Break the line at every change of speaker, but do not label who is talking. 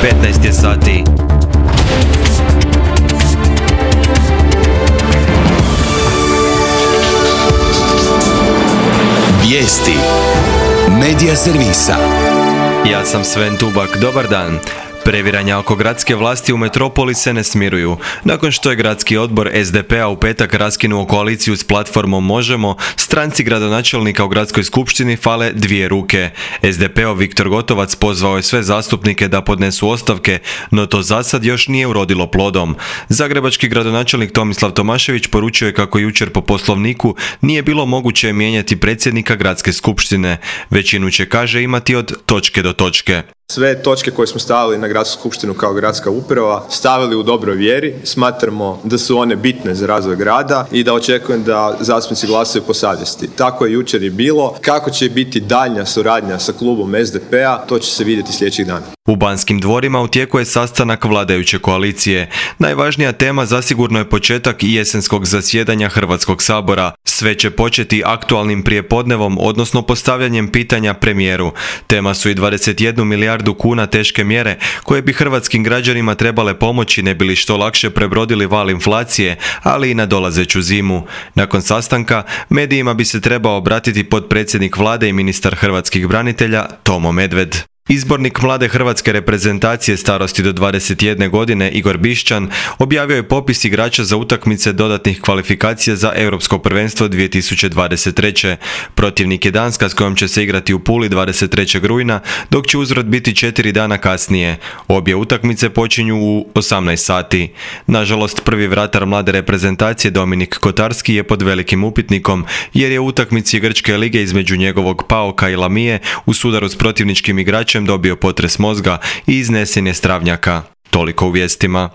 15 je sati.
Vijesti Medija servisa.
Ja sam Sven Tubak, dobar dan. Previranja oko gradske vlasti u metropoli se ne smiruju. Nakon što je gradski odbor SDP-a u petak raskinuo koaliciju s platformom Možemo, stranci gradonačelnika u gradskoj skupštini fale dvije ruke. SDP-ov Viktor Gotovac pozvao je sve zastupnike da podnesu ostavke, no to zasad još nije urodilo plodom. Zagrebački gradonačelnik Tomislav Tomašević poručio je kako jučer po poslovniku nije bilo moguće mijenjati predsjednika gradske skupštine. Većinu će, kaže, imati od točke do točke.
Sve točke koje smo stavili na gradsku skupštinu kao gradska uprava stavili u dobroj vjeri, smatramo da su one bitne za razvoj grada i da očekujem da zastupnici glasaju po savjesti. Tako je jučer i bilo. Kako će biti daljnja suradnja sa klubom SDP-a, to će se vidjeti sljedećih dana.
U Banskim dvorima u tijeku je sastanak vladajuće koalicije. Najvažnija tema zasigurno je početak jesenskog zasjedanja Hrvatskog sabora. Sve će početi aktualnim prijepodnevom, odnosno postavljanjem pitanja premijeru. Tema su i 21 milijardu kuna teške mjere koje bi hrvatskim građanima trebale pomoći ne bi li što lakše prebrodili val inflacije, ali i nadolazeću zimu. Nakon sastanka medijima bi se trebao obratiti potpredsjednik vlade i ministar hrvatskih branitelja Tomo Medved. Izbornik mlade hrvatske reprezentacije starosti do 21 godine Igor Bišćan objavio je popis igrača za utakmice dodatnih kvalifikacija za Europsko prvenstvo 2023. Protivnik je Danska s kojom će se igrati u Puli 23. rujna, dok će uzvrat biti 4 dana kasnije. Obje utakmice počinju u 18 sati. Nažalost, prvi vratar mlade reprezentacije Dominik Kotarski je pod velikim upitnikom, jer je u utakmici Grčke lige između njegovog PAOK-a i Lamije u sudaru s protivničkim igračem dobio potres mozga i iznesen je s travnjaka. Toliko u vijestima.